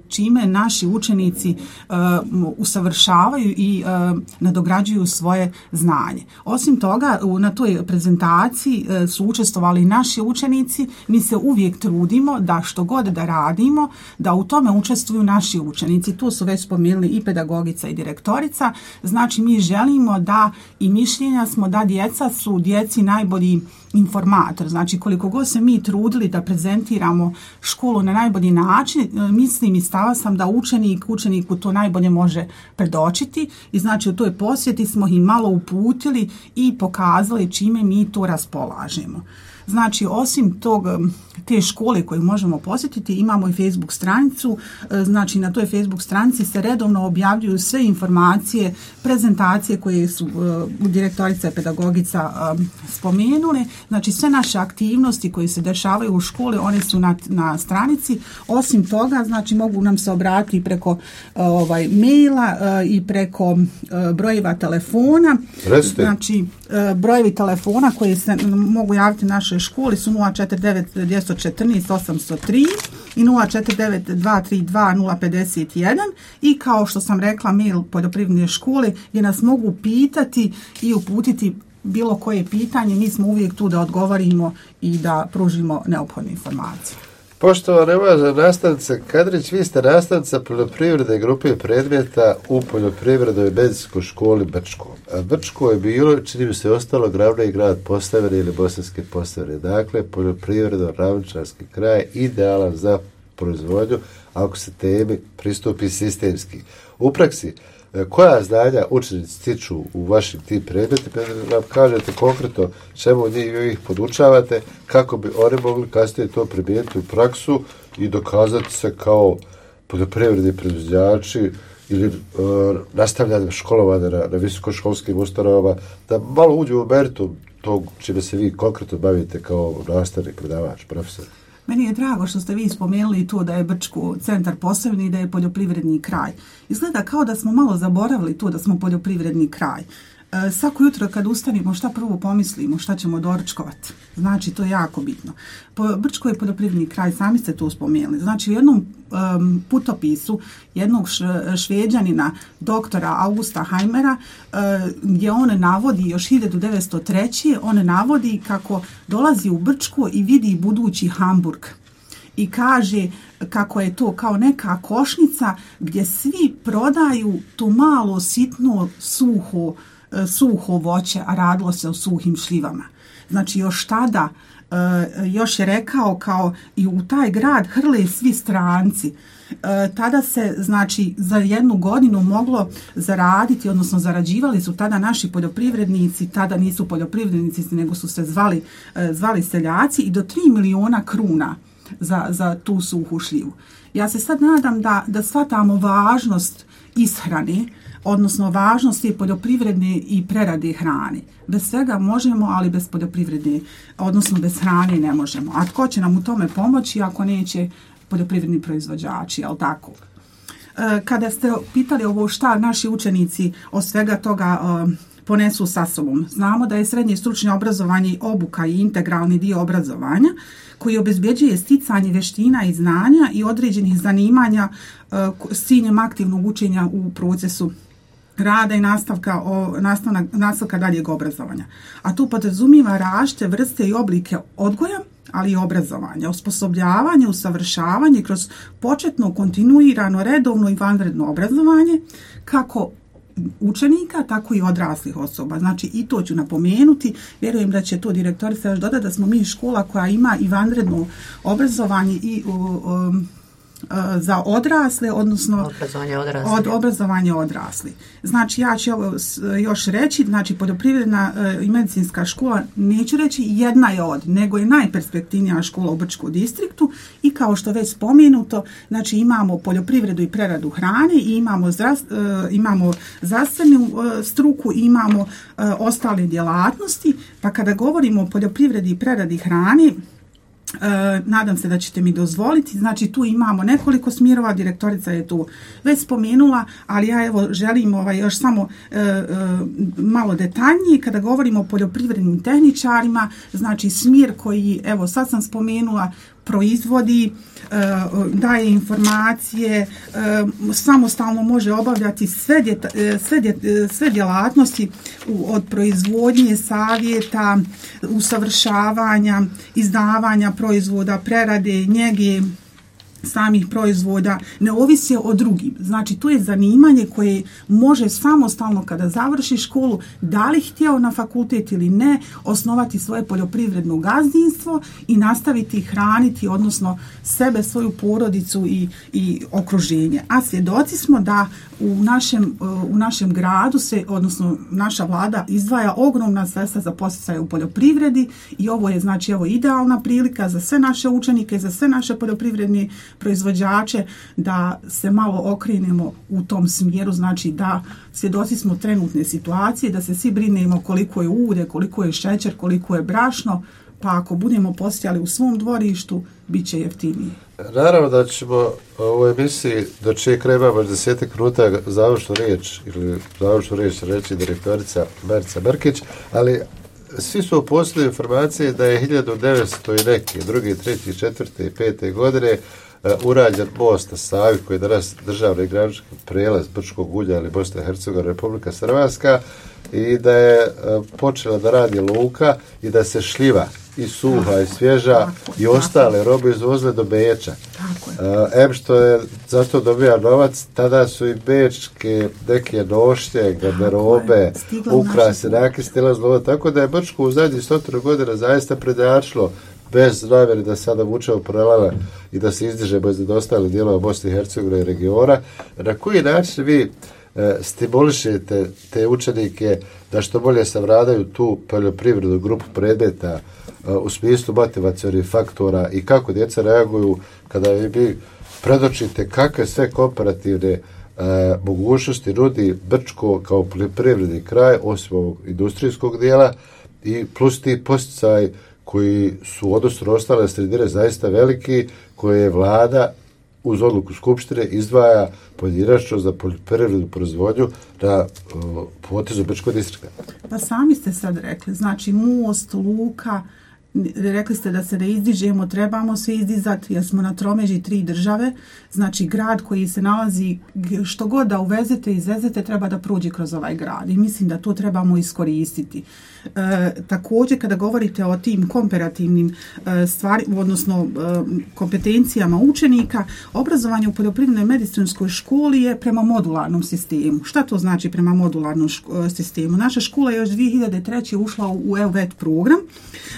čime naši učenici uh, usavršavaju i uh, nadograđuju svoje znanje. Osim toga, u, na toj prezentaciji uh, su učestvovali naši učenici. Mi se uvijek trudimo da što god da radimo, da u tome učestvuju naši učenici. Tu su već spomenuli i pedagogica i direktorica. Znači, mi želimo da i mišljenja smo da djeca su djeci najbolji informator. Znači, koliko god se mi trudili da prezentiramo školu na najbolji način, mislim i stava sam da učenik, učeniku to najbolje može predočiti i znači u toj posjeti smo ih malo uputili i pokazali čime mi to raspolažemo. Znači, osim tog, te škole koju možemo posjetiti, imamo i Facebook stranicu. Znači, na toj Facebook stranici se redovno objavljuju sve informacije, prezentacije koje su uh, direktorica i pedagogica uh, spomenule. Znači, sve naše aktivnosti koje se dešavaju u školi, one su na, na stranici. Osim toga, znači, mogu nam se obratiti preko uh, ovaj, maila uh, i preko uh, brojeva telefona. Reste. Znači, uh, brojevi telefona koji se mogu javiti našoj školi su nula četiri devet dva jedan četiri osam zero tri i nula četiri devet dva tri dva nula pet jedan i kao što sam rekla mail poljoprivredne škole gdje nas mogu pitati i uputiti bilo koje pitanje. Mi smo uvijek tu da odgovorimo i da pružimo neophodne informacije. Poštovana uvažena nastavnica Kadrić, vi ste nastavnica poljoprivredne grupe predmeta u poljoprivrednoj medicinskoj školi Brčko. A Brčko je bilo, čini mi se, ostalo glavni grad Posavine ili Bosanske Posavine. Dakle, poljoprivredno-ravničarski kraj idealan za proizvodnju ako se temi pristupi sistemski. U praksi, koja znanja učenici stiču u vašim tim predmetima, nam kažete konkretno čemu njih podučavate, kako bi oni mogli kasnije to primijeniti u praksu i dokazati se kao poljoprivredni proizvođači ili uh, nastavljanje školovanja na, na visokoškolskim ustanovama, da malo uđu u meritum tog čime se vi konkretno bavite kao nastavnik, predavač, profesor. Meni je drago što ste vi spomenuli to da je Brčko centar Posavine i da je poljoprivredni kraj. Izgleda kao da smo malo zaboravili to da smo poljoprivredni kraj. E, svako jutro kad ustanimo šta prvo pomislimo, šta ćemo doručkovati. Znači, to je jako bitno. Po, Brčko je poljoprivredni kraj, sami ste to spomenuli. Znači, u jednom um, putopisu jednog š, šveđanina, doktora Augusta Heimera, uh, gdje on navodi još hiljadu devetsto treće. on navodi kako dolazi u Brčko i vidi budući Hamburg. I kaže kako je to kao neka košnica gdje svi prodaju to malo sitno suho suho voće, a radilo se o suhim šljivama. Znači, još tada još je rekao kao i u taj grad hrle svi stranci. Tada se, znači, za jednu godinu moglo zaraditi, odnosno zarađivali su tada naši poljoprivrednici, tada nisu poljoprivrednici, nego su se zvali, zvali seljaci, i do tri miliona kruna za, za tu suhu šljivu. Ja se sad nadam da, da shvatamo važnost ishrane, odnosno važnost je poljoprivredne i prerade hrane. Bez svega možemo, ali bez poljoprivredne, odnosno bez hrane ne možemo. A tko će nam u tome pomoći ako neće poljoprivredni proizvođači, jel tako? Kada ste pitali ovo šta naši učenici od svega toga ponesu sa sobom, znamo da je srednje stručno obrazovanje obuka i integralni dio obrazovanja koji obezbjeđuje sticanje vještina i znanja i određenih zanimanja s ciljem aktivnog učenja u procesu rada i nastavka, o, nastavna, nastavka daljeg obrazovanja. A tu podrazumijeva različite vrste i oblike odgoja, ali i obrazovanja, osposobljavanje, usavršavanje kroz početno, kontinuirano, redovno i vanredno obrazovanje, kako učenika, tako i odraslih osoba. Znači, i to ću napomenuti, vjerujem da će to direktorica još dodati, da smo mi škola koja ima i vanredno obrazovanje i um, za odrasle, odnosno obrazovanje odrasli. od obrazovanja odrasli. Znači, ja ću ovo još reći, znači, poljoprivredna i medicinska škola, neću reći jedna je od, nego je najperspektivnija škola u Brčkom distriktu, i kao što već spomenuto, znači, imamo poljoprivredu i preradu hrane, i imamo, zdravst, imamo zdravstvenu struku, i imamo ostale djelatnosti, pa kada govorimo o poljoprivredi i preradi hrane, E, nadam se da ćete mi dozvoliti, znači tu imamo nekoliko smjerova, direktorica je tu već spomenula, ali ja evo želim ovaj, još samo e, e, malo detaljnije. Kada govorimo o poljoprivrednim tehničarima, znači smjer koji, evo sad sam spomenula, proizvodi, daje informacije, samostalno može obavljati sve, djeta, sve, djet, sve djelatnosti od proizvodnje, savjeta, usavršavanja, izdavanja proizvoda, prerade, njege samih proizvoda, ne ovisi o drugim. Znači, to je zanimanje koje može samostalno, kada završi školu, da li htjeo na fakultet ili ne, osnovati svoje poljoprivredno gazdinstvo i nastaviti hraniti, odnosno sebe, svoju porodicu i, i okruženje. A svjedoci smo da u našem, u našem gradu se, odnosno naša vlada izdvaja ogromna sredstva za podsticaje u poljoprivredi, i ovo je, znači, evo idealna prilika za sve naše učenike, za sve naše poljoprivredne proizvođače da se malo okrenemo u tom smjeru, znači da svjedoci smo trenutne situacije, da se svi brinemo koliko je ulje, koliko je šećer, koliko je brašno, pa ako budemo postojali u svom dvorištu, bit će jeftinije. Naravno da ćemo u ovoj emisiji, do čije kraja imamo desetak minuta završnu riječ, ili završnu riječ reći direktorica Marica Brkić, ali svi su poslali informacije da je hiljadu devetsto i neke, druge, treće, četvrte i pete godine uh, urađen most na Savi, koji je danas državni granični prijelaz Brčkog ulja ili Bosna i Hercegovina, Republika Hrvatska, i da je uh, počela da radi luka i da se šljiva i suha i svježa tako, i ostale tako. robe izvozile do Beča. Uh, em što je zato dobija novac, tada su i bečke neke nošnje, garderobe, ukrase, neke stila zlova, tako da je Brčko u zadnjih stotinu godina zaista prednjačilo, bez namjere da sada vučemo paralele i da se izdižemo iz nedostajali dijelova Bosne i Hercegovine i regiona. Na koji način vi e, stimulišete te učenike da što bolje savladaju tu poljoprivrednu grupu predmeta e, u smislu motivacionih faktora, i kako djeca reaguju kada vi predočite kakve sve komparativne e, mogućnosti nudi Brčko kao poljoprivredni kraj, osim ovog industrijskog dijela, i plus ti posticaji koji su odnosno ostale sredine zaista veliki, koje je vlada uz odluku Skupštine izdvaja pojedinačno za poljoprivrednu proizvodnju na uh, potezu Brčkog distrikta. Pa sami ste sad rekli, znači most, luka, rekli ste da se ne izdižemo, trebamo se izdizati jer smo na tromeđi tri države, znači grad koji se nalazi, što god da uvezete i izvezete, treba da prođe kroz ovaj grad, i mislim da to trebamo iskoristiti. E, također, kada govorite o tim komparativnim e, stvari, odnosno e, kompetencijama učenika, obrazovanje u poljoprivrednoj medicinskoj školi je prema modularnom sistemu. Šta to znači prema modularnom ško, sistemu? Naša škola je još dvije hiljade treće ušla u, u E U V E T program,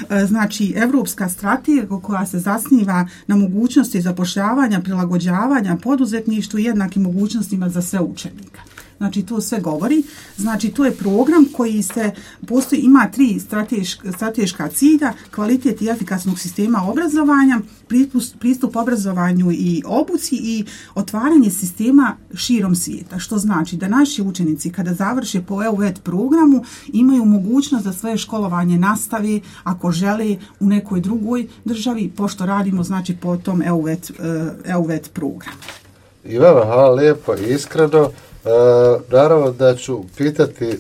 e, znači znači evropska strategija koja se zasniva na mogućnosti zapošljavanja, prilagođavanja, poduzetništvu i jednakim mogućnostima za sve učenika. Znači to sve govori, znači to je program koji se postoji, ima tri strateška, strateška cilja, kvalitet i efikasnog sistema obrazovanja, pristup, pristup obrazovanju i obuci i otvaranje sistema širom svijeta, što znači da naši učenici kada završe po E U V E T programu imaju mogućnost da svoje školovanje nastave ako žele u nekoj drugoj državi, pošto radimo znači po tom E U V E T, E U V E T programu. I vama hvala lijepo i iskreno. E, naravno da ću pitati e,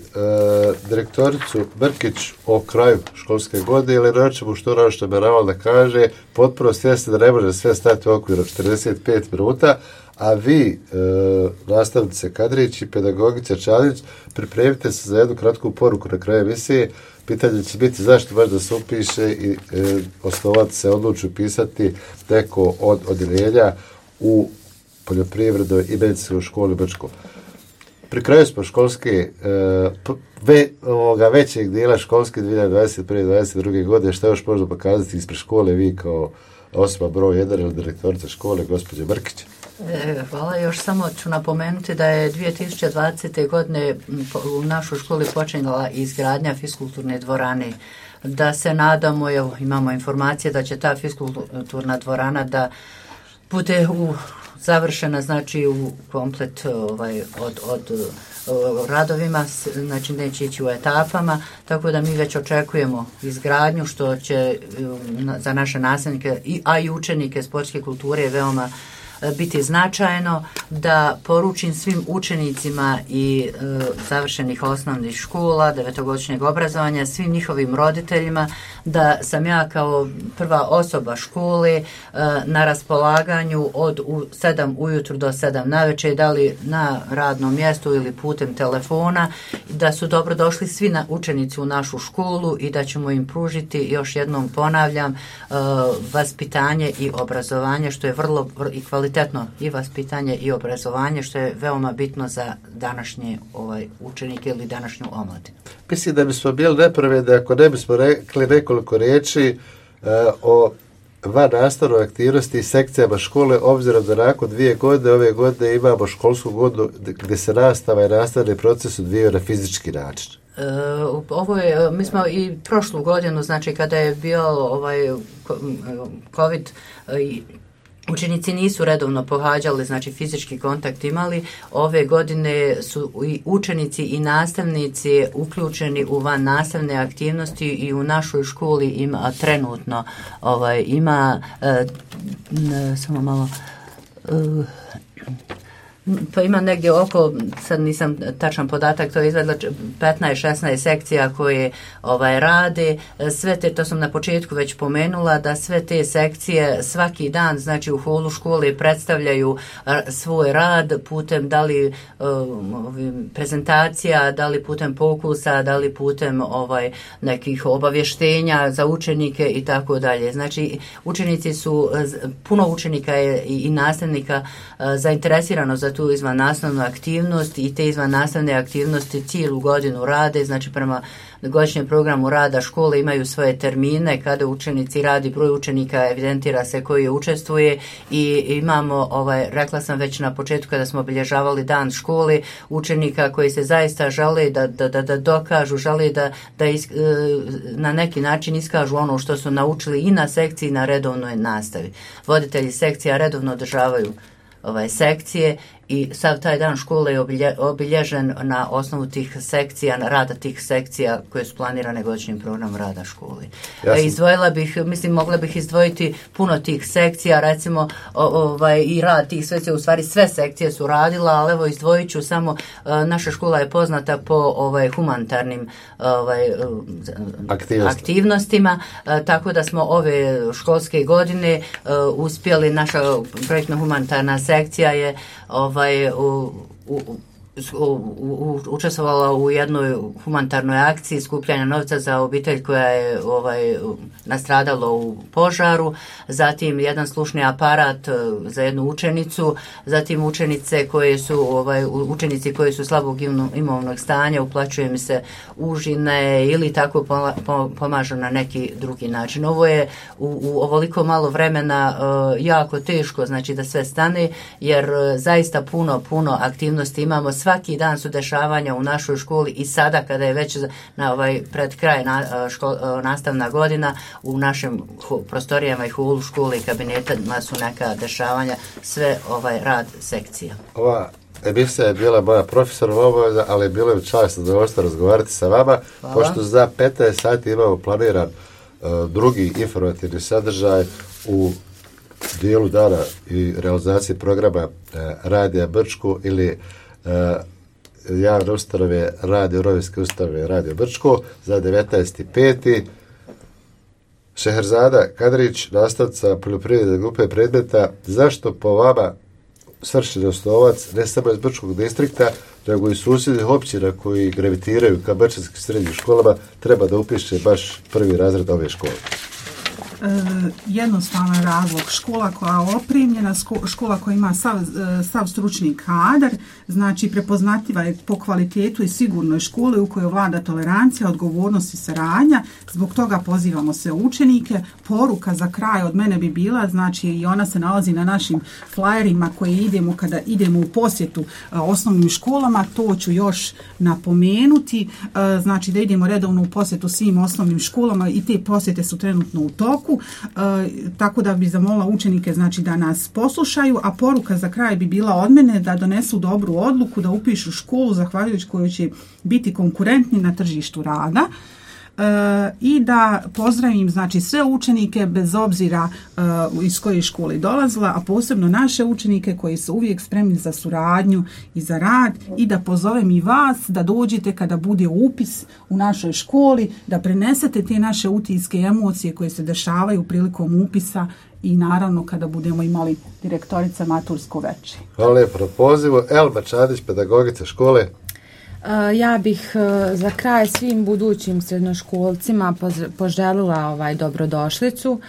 direktoricu Brkić o kraju školske godine ili rećemo što ono što je naravno da kaže, potpuno svjesni da ne može sve stati u okviru četrdeset pet minuta, a vi, e, nastavnice Kadrić i pedagogica Čalić, pripremite se za jednu kratku poruku na kraju emisije. Pitanje će biti zašto baš da se upiše i e, osnovati se, odluči upisati neko od odjeljenja u poljoprivrednoj i medicinskoj školi Brčko. Pri kraju smo školske, uh, ve, ovoga većeg dijela školske dvije hiljade dvadeset prve dvadeset druge godine, što još možda pokazati ispred škole, vi kao osoba broj jedan ili direktorica škole, gospođa Brkić? E, hvala, još samo ću napomenuti da je dvije tisuće dvadesete. godine u našoj školi počinjala izgradnja fiskulturne dvorane. Da se nadamo, evo, imamo informacije da će ta fiskulturna dvorana da bude u završena, znači u komplet ovaj, od, od, od radovima, znači neće ići u etapama, tako da mi već očekujemo izgradnju, što će za naše nastavnike, a i učenike sportske kulture veoma biti značajno. Da poručim svim učenicima i e, završenih osnovnih škola, devetogodišnjeg obrazovanja, svim njihovim roditeljima, da sam ja kao prva osoba škole e, na raspolaganju od u, sedam ujutru do sedam navečer, da li na radnom mjestu ili putem telefona, da su dobro došli svi na učenici u našu školu i da ćemo im pružiti, još jednom ponavljam, e, vaspitanje i obrazovanje, što je vrlo i kvalitetno i vaspitanje i obrazovanje, što je veoma bitno za današnje ovaj, učenike ili današnju omladinu. Mislim da bismo bili nepravedni ako ne bismo rekli nekoliko riječi uh, o van nastavnoj aktivnosti i sekcijama škole, obzirom da nakon dvije godine, ove godine imamo školsku godinu gdje se nastava i nastavni proces odvijaju na fizički način. E, ovo je, mi smo i prošlu godinu, znači kada je bio ovaj COVID i učenici nisu redovno pohađali, znači fizički kontakt imali. Ove godine su i učenici i nastavnici uključeni u van nastavne aktivnosti i u našoj školi ima trenutno ovaj, ima e, ne, samo malo e, pa ima negdje oko, sad nisam tačan podatak, to je izvedla petnaest šesnaest sekcija koje ovaj, rade, sve te, to sam na početku već pomenula, da sve te sekcije svaki dan, znači u holu škole predstavljaju svoj rad putem da li um, prezentacija, da li putem pokusa, da li putem ovaj, nekih obavještenja za učenike i tako dalje. Znači učenici su, puno učenika je i, i nastavnika zainteresirano za tu izvan nastavnu aktivnost i te izvan nastavne aktivnosti cijelu godinu rade, znači prema godišnjem programu rada škole imaju svoje termine kada učenici radi, broj učenika evidentira se koji učestvuje i imamo, ovaj, rekla sam već na početku kada smo obilježavali dan škole, učenika koji se zaista žele da, da, da, da dokažu, žele da, da is, na neki način iskažu ono što su naučili i na sekciji i na redovnoj nastavi. Voditelji sekcija redovno održavaju ovaj, sekcije i sav taj dan škole je obilje, obilježen na osnovu tih sekcija, na rada tih sekcija koje su planirane godišnjim programom rada škole. Jasne. Izdvojila bih, mislim, mogla bih izdvojiti puno tih sekcija, recimo o, ovaj, i rad tih sekcija, u stvari sve sekcije su radila, ali evo izdvojit ću samo, naša škola je poznata po ovaj, humanitarnim ovaj, Aktivnost. aktivnostima, tako da smo ove školske godine uspjeli, naša projektno humanitarna sekcija je ovaj, u, u, učestvovala u jednoj humanitarnoj akciji skupljanja novca za obitelj koja je ovaj, nastradalo u požaru, zatim jedan slušni aparat za jednu učenicu, zatim učenice koje su ovaj, učenici koji su slabog imovnog stanja, uplaćuje mi se užine ili tako pomažu na neki drugi način. Ovo je u, u ovoliko malo vremena uh, jako teško, znači da sve stane, jer uh, zaista puno, puno aktivnosti imamo. Svaki dan su dešavanja u našoj školi i sada kada je već na ovaj pred kraj na, škol, nastavna godina, u našim hu, prostorijama i holu škole i kabinetima su neka dešavanja, sve ovaj rad sekcija. Ova emisija je bila moja profesionalna obaveza, ali je bilo je čast da zadovoljstvo razgovarati sa vama. Hvala. Pošto za petnaest sati imamo planiran uh, drugi informativni sadržaj u dijelu dana i realizaciji programa uh, Radija Brčko ili uh, javne ustanove Radio Rovinske ustanove Radio Brčko za devetnaesti peti Šeherzada Kadrić, nastavnica poljoprivredne grupe predmeta. Zašto po vama svršeni osnovac ne samo iz Brčkog distrikta, nego i susjednih općina koji gravitiraju ka brčanskim srednjim školama treba da upiše baš prvi razred ove škole? E, jednostavan razlog, škola koja je opremljena, škola koja ima sav, sav stručni kadar, znači prepoznatljiva je po kvalitetu i sigurnoj školi u kojoj vlada tolerancija, odgovornost i saradnja. Zbog toga pozivamo sve učenike. Poruka za kraj od mene bi bila, znači i ona se nalazi na našim flajerima koje idemo kada idemo u posjetu a, osnovnim školama, to ću još napomenuti, a, znači da idemo redovno u posjetu svim osnovnim školama i te posjete su trenutno u toku. E, tako da bi zamolila učenike znači da nas poslušaju, a poruka za kraj bi bila od mene da donesu dobru odluku, da upišu školu zahvaljujući kojoj će biti konkurentni na tržištu rada. E, i da pozdravim znači sve učenike bez obzira e, iz koje škole dolazila, a posebno naše učenike koji su uvijek spremni za suradnju i za rad, i da pozovem i vas da dođete kada bude upis u našoj školi, da prenesete te naše utiske i emocije koje se dešavaju prilikom upisa i naravno kada budemo imali direktorica matursko veče. Hvala lijepo na pozivu. Elma Čadić, pedagogica škole. Ja bih za kraj svim budućim srednjoškolcima poželila ovaj dobrodošlicu.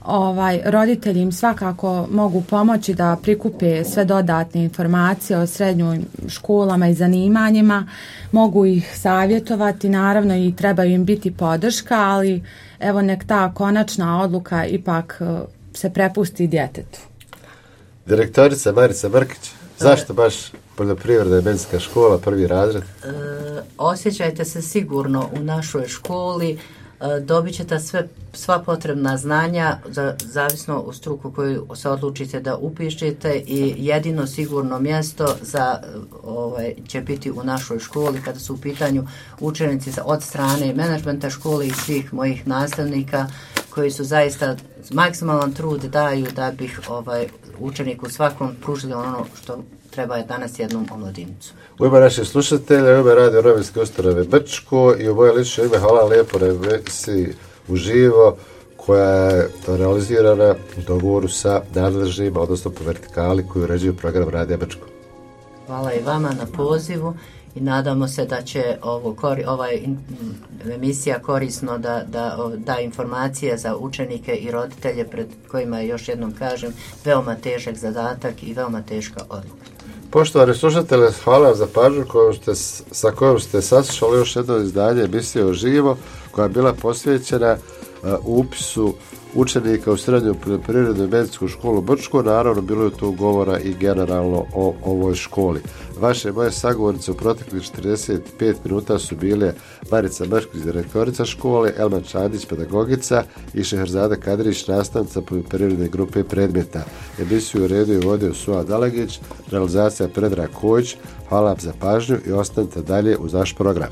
Ovaj, roditelji im svakako mogu pomoći da prikupe sve dodatne informacije o srednjim školama i zanimanjima, mogu ih savjetovati, naravno i trebaju im biti podrška, ali evo nek ta konačna odluka ipak se prepusti djetetu. Direktorica Marica Mrkić, zašto baš poljoprivredna i medicinska škola, prvi razred? E, osjećajte se sigurno u našoj školi, e, dobit ćete sve, sva potrebna znanja, za, zavisno u struku koju se odlučite da upišete, i jedino sigurno mjesto za, ovaj, će biti u našoj školi kada su u pitanju učenici od strane menadžmenta škole i svih mojih nastavnika koji su zaista maksimalan trud daju da bih ovaj, učeniku svakom pružili ono što treba je danas jednom omladinicu. U ime naših slušatelja, u ime Radio Rovinske ustanove Brčko i u moje lično ime hvala lijepo na emisiji uživo koja je realizirana u dogovoru sa nadležnjima, odnosno po vertikali koji uređuju program Radija Brčko. Hvala i vama na pozivu i nadamo se da će ovo, ova emisija korisno da, da da informacije za učenike i roditelje pred kojima je, još jednom kažem, veoma težak zadatak i veoma teška odluka. Poštovani slušatelji, hvala vam za pažnju koju ste, sa kojom ste saslušali još jedno izdanje emisije uživo koja je bila posvećena uh, upisu učenika u srednju poljoprivrednu i medicinsku školu Brčko. Naravno, bilo je tu govora i generalno o ovoj školi. Vaše moje sagovornice u proteklih četrdeset pet minuta su bile Marica Mrkić, direktorica škole, Elma Čadić, pedagogica, i Šeherzada Kadrić, nastavnica poljoprivredne grupe predmeta. Emisiju u redu je vodio Suad Dalagić, realizacija Predrag Kojić. Hvala vam za pažnju i ostanite dalje uz naš program.